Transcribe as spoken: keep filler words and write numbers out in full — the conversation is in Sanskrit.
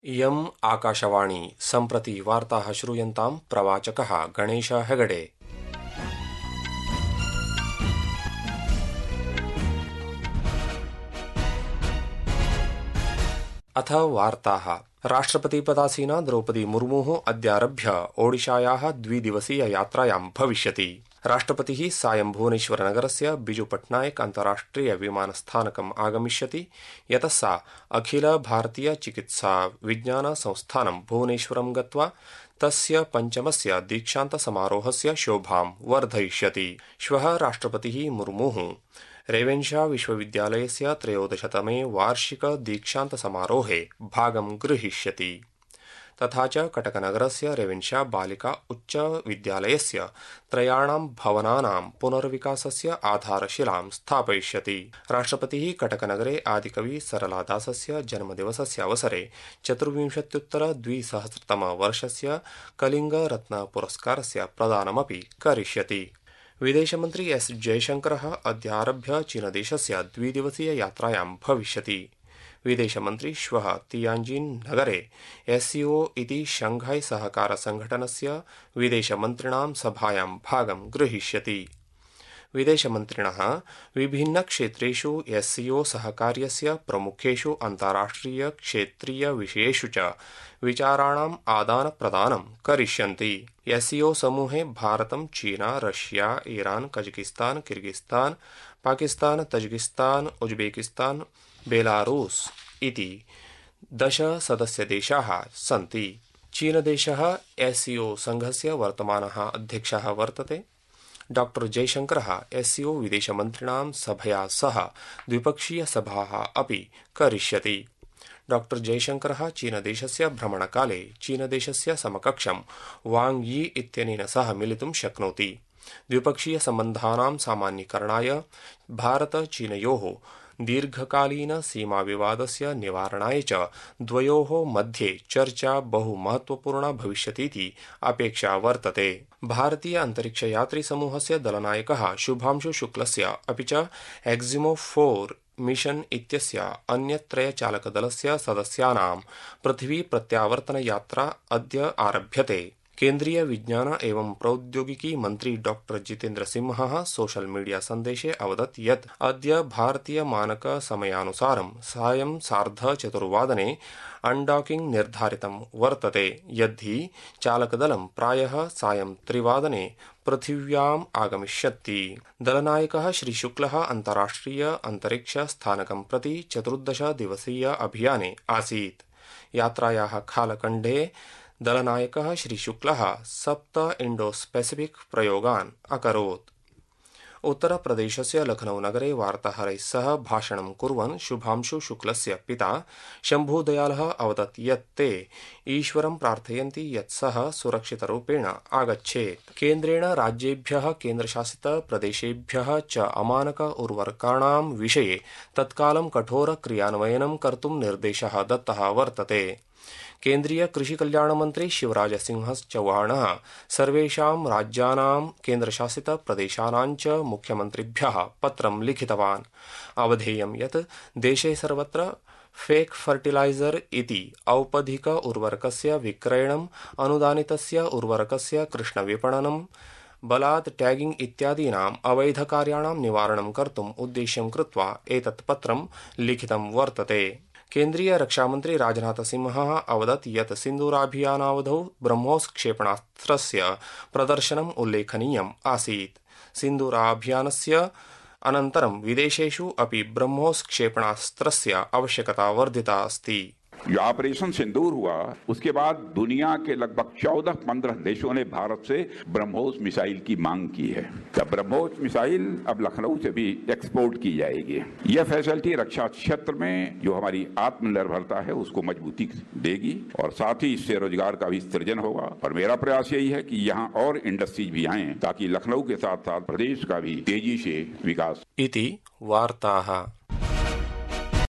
इयम् आकाशवाणी सम्प्रति वार्ताः श्रूयन्ताम् प्रवाचकः गणेश हेगडे। अथ वार्ताः। राष्ट्रपतिपदासीना द्रौपदी मुर्मुः अद्यारभ्य ओडिशायाः द्विदिवसीय यात्रायां भविष्यति। राष्ट्रपतिः सायं भुवनेश्वरनगरस्य बिजू पट्नायक अन्ताराष्ट्रिय विमानस्थानकम् आगमिष्यति, यतः सा अखिल भारतीय चिकित्सा विज्ञान संस्थानं भुवनेश्वरं गत्वा तस्य पञ्चमस्य दीक्षान्त समारोहस्य शोभां वर्धयिष्यति। श्वः राष्ट्रपतिः मुर्मुः रेवेन्शा विश्वविद्यालयस्य त्रयोदशतमे वार्षिक दीक्षान्त समारोहे भागं गृहीष्यति। तथा च कटकनगरस्य रेवेन्शा बालिका उच्च विद्यालयस्य त्रयाणां भवनानां पुनर्विकासस्य आधारशिलां स्थापयिष्यति। राष्ट्रपतिः कटकनगरे आदिकवि सरलादासस्य जन्मदिवसस्य अवसरे चतुर्विंशत्युत्तर द्विसहस्रतमवर्षस्य कलिंग रत्न पुरस्कारस्य प्रदानमपि करिष्यति। विदेशमन्त्री एस जयशंकरः अद्यारभ्य चीनदेशस्य द्विदिवसीय यात्रायां भविष्यति। विदेशमन्त्री श्वः तियाञ्जिन् नगरे एससीओ इति शंघाई सहकार संघटनस्य विदेशमन्त्रिणां सभायां भागं गृहीष्यति। विदेशमन्त्रिणः विभिन्नक्षेत्रेषु एससीओ सहकार्यस्य प्रमुखेषु अन्ताराष्ट्रिय क्षेत्रीय विषयेषु च विचाराणाम् आदानप्रदानं करिष्यन्ति। एससीओ समूहे भारतं, चीना, Russia, Iran, Kazakhstan, Kyrgyzstan, Pakistan, Tajikistan, Uzbekistan, Belarus इति दश सदस्यदेशाः सन्ति। चीनदेशः एससीओ संघस्य वर्तमानः अध्यक्षः वर्तते। डॉक्टर जयशंकरः एससीओ विदेशमन्त्रिणां सभया सह द्विपक्षीय सभाः अपि करिष्यति। डॉक्टर जयशंकरः चीनदेशस्य भ्रमणकाले चीनदेशस्य समकक्षं वांग यी इत्यनेन सह मिलितुं शक्नोति। द्विपक्षीय सम्बन्धानां सामान्यीकरणाय भारत चीनयोः दीर्घकालीन सीमा विवादस्य निवारणाय च द्वयोः मध्ये चर्चा बहु महत्वपूर्णा भविष्यतीति अपेक्षा वर्तते। भारतीय अंतरिक्षयात्री समूहस्य दलनायकः शुभांशु शुक्लस्य अपि च एक्सिमो फोर मिशन इत्यस्य अन्यत्रयचालकदलस्य सदस्यानां पृथिवी प्रत्यावर्तन यात्रा अद्य आरभ्यते। केन्द्रीय विज्ञान एवं प्रौद्योगिकी मंत्री डॉक्टर जितेन्द्र सिंहः सोशल मीडिया सन्देशे अवदत् यत् अद्य भारतीय मानक समयानुसारं सायं सार्ध चतुर्वादने अनडॉकिंग निर्धारितं वर्तते, यद्धि चालकदलं प्रायः सायं त्रिवादने पृथिव्याम् आगमिष्यति। दलनायकः श्री शुक्लः अन्ताराष्ट्रिय अंतरिक्ष स्थानकं प्रति चतुर्दश दिवसीय अभियाने आसीत्। यात्रायाः कालखण्डे दलनायकः श्री शुक्लः सप्त इंडो स्पेसिफिक प्रयोगान् अकरोत्। उत्तरप्रदेशस्य लखनऊ नगरे वार्ताहरैः सह भाषणं कुर्वन् शुभांशु शुक्लस्य पिता शम्भुदयालः अवदत् यत् ते ईश्वरं प्रार्थयन्ति यत् सः सुरक्षितरूपेण आगच्छेत्। केन्द्रेण राज्येभ्यः केन्द्रशासित प्रदेशेभ्यः च अमानक उर्वरकाणां विषये तत्कालं कठोर क्रियान्वयनं कर्तुं निर्देशः दत्तः वर्तते। केन्द्रीय कृषि कल्याण मंत्री शिवराज सिंह चौहानः सर्वेषां राज्यानां केन्द्रशासित प्रदेशानां च मुख्यमन्त्रिभ्यः पत्रं लिखितवान्। अवधेयं यत् देशे सर्वत्र फेक फर्टिलाइजर इति औपधिक उर्वरकस्य विक्रयणम्, अनुदानितस्य उर्वरकस्य कृष्णविपणनं, बलात् टैगिंग इत्यादीनाम् अवैधकार्याणां निवारणं कर्तुम् उद्देश्यं कृत्वा एतत् पत्रं लिखितं वर्तते। केन्द्रीय रक्षामन्त्री राजनाथ सिंहः अवदत् यत् सिन्दूराभियानावधौ ब्रह्मोस क्षेपणास्त्रस्य प्रदर्शनम् उल्लेखनीयम् आसीत्। सिन्दूराभियानस्य अनन्तरं विदेशेषु अपि ब्रह्मोस क्षेपणास्त्रस्य आवश्यकता वर्धिता अस्ति। जो ऑपरेशन सिंदूर हुआ उसके बाद दुनिया के लगभग चौदह पंद्रह देशों ने भारत से ब्रह्मोस मिसाइल की मांग की है। तब ब्रह्मोस मिसाइल अब लखनऊ से भी एक्सपोर्ट की जाएगी। यह फैसिलिटी रक्षा क्षेत्र में जो हमारी आत्मनिर्भरता है उसको मजबूती देगी और साथ ही इससे रोजगार का भी सृजन होगा। और मेरा प्रयास यही है कि यहाँ और इंडस्ट्रीज भी आए ताकि लखनऊ के साथ साथ प्रदेश का भी तेजी से विकास। इति वार्ताः।